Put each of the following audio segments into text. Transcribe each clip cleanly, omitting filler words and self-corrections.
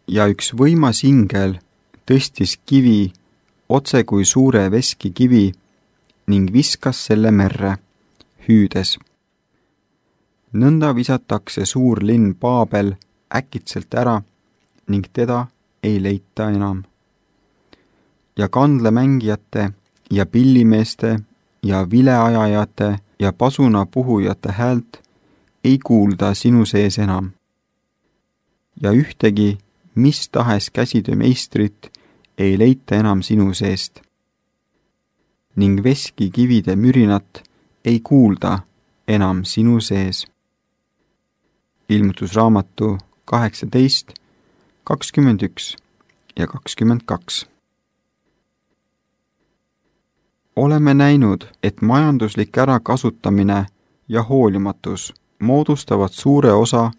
ja üks võimas ingel tõstis kivi otse kui suure veskikivi ning viskas selle merre, hüüdes. Nõnda visatakse suur linn Paabel äkitselt ära ning teda ei leita enam. Ja kandlemängijate ja pillimeeste ja vileajajate ja pasunapuhujate häält ei kuulda sinu sees enam. Ja ühtegi mis tahes käsitöömeistrit ei leita enam sinu seest. Ning veskikivide mürinat ei kuulda enam sinu sees. Ilmutusraamatu 18, 21 ja 22. Oleme näinud, et majanduslik ärakasutamine ja hoolimatus moodustavad suure osa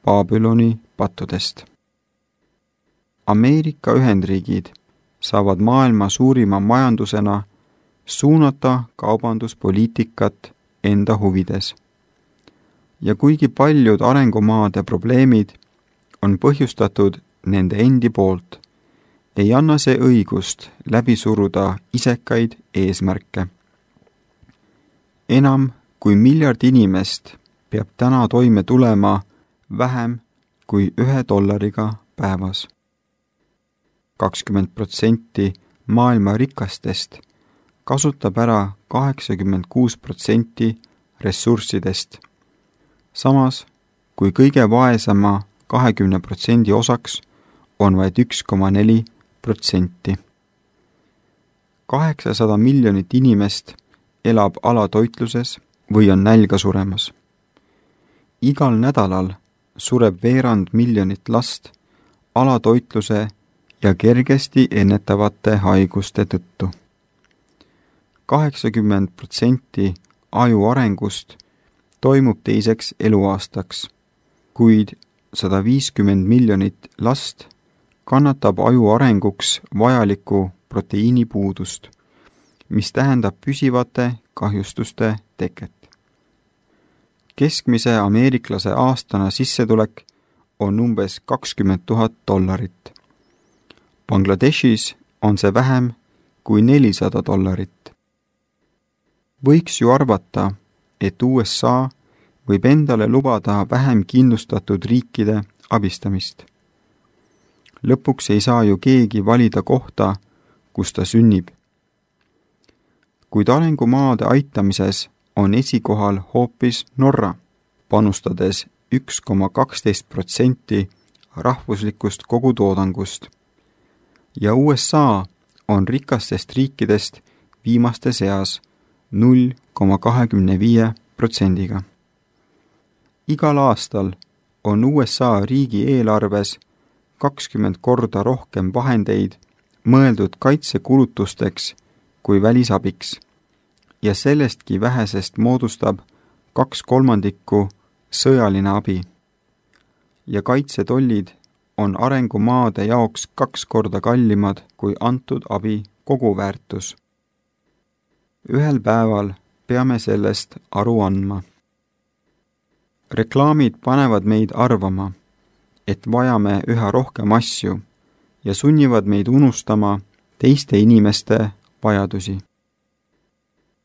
Babyloni pattudest. Ameerika Ühendriigid saavad maailma suurima majandusena suunata kaubanduspoliitikat enda huvides. Ja kuigi paljud arengumaade probleemid on põhjustatud nende endi poolt, ei anna see õigust läbi suruda isekaid eesmärke. Enam kui miljard inimest peab täna toime tulema vähem kui $1 päevas. 20% maailma rikastest kasutab ära 86% ressurssidest, samas kui kõige vaesema 20% osaks on vaid 1,4%. 800 miljonit inimest elab alatoitluses või on nälga suremas. Igal nädalal sureb veerand miljonit last alatoitluse ja kergesti ennetavate haiguste tõttu. 80% aju arengust toimub teiseks eluaastaks, kuid 150 miljonit last kannatab aju arenguks vajalikku proteiinipuudust, mis tähendab püsivate kahjustuste teket. Keskmise ameeriklase aastane sissetulek on umbes $20,000. Bangladeshis on see vähem kui $400. Võiks ju arvata, et USA võib endale lubada vähem kindlustatud riikide abistamist. Lõpuks ei saa ju keegi valida kohta, kus ta sünnib. Kuid arengumaade aitamises on esikohal hoopis Norra, panustades 1,12% rahvuslikust kogutoodangust. Ja USA on rikastest riikidest viimaste seas 0,25%. Igal aastal on USA riigieelarves 20 korda rohkem vahendeid mõeldud kaitsekulutusteks kui välisabiks ja sellestki vähesest moodustab 2/3 sõjaline abi. Ja kaitsetollid on arengumaade jaoks 2 korda kallimad kui antud abi koguväärtus. Ühel päeval peame sellest aru andma. Reklaamid panevad meid arvama, et vajame üha rohkem asju ja sunnivad meid unustama teiste inimeste vajadusi.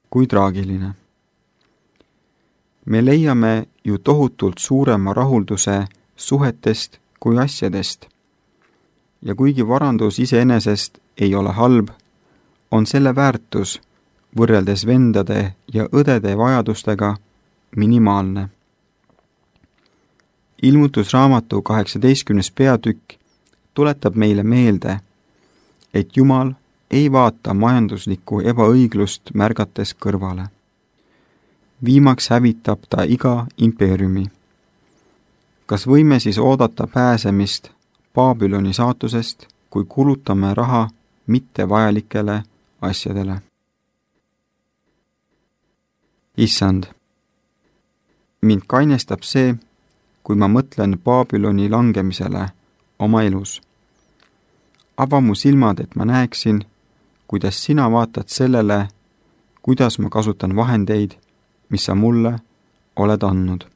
Kui traagiline. Me leiame ju tohutult suurema rahulduse suhetest kui asjadest. Ja kuigi varandus iseenesest ei ole halb, on selle väärtus võrreldes vendade ja õdede vajadustega minimaalne. Ilmutusraamatu 18. peatükk tuletab meile meelde, et Jumal ei vaata majanduslikku ebaõiglust märgates kõrvale. Viimaks hävitab ta iga impeeriumi. Kas võime siis oodata pääsemist Babyloni saatusest, kui kulutame raha mittevajalikele asjadele? Issand, mind kainestab see, kui ma mõtlen Babyloni langemisele oma elus. Ava mu silmad, et ma näeksin, kuidas sina vaatad sellele, kuidas ma kasutan vahendeid, mis sa mulle oled andnud.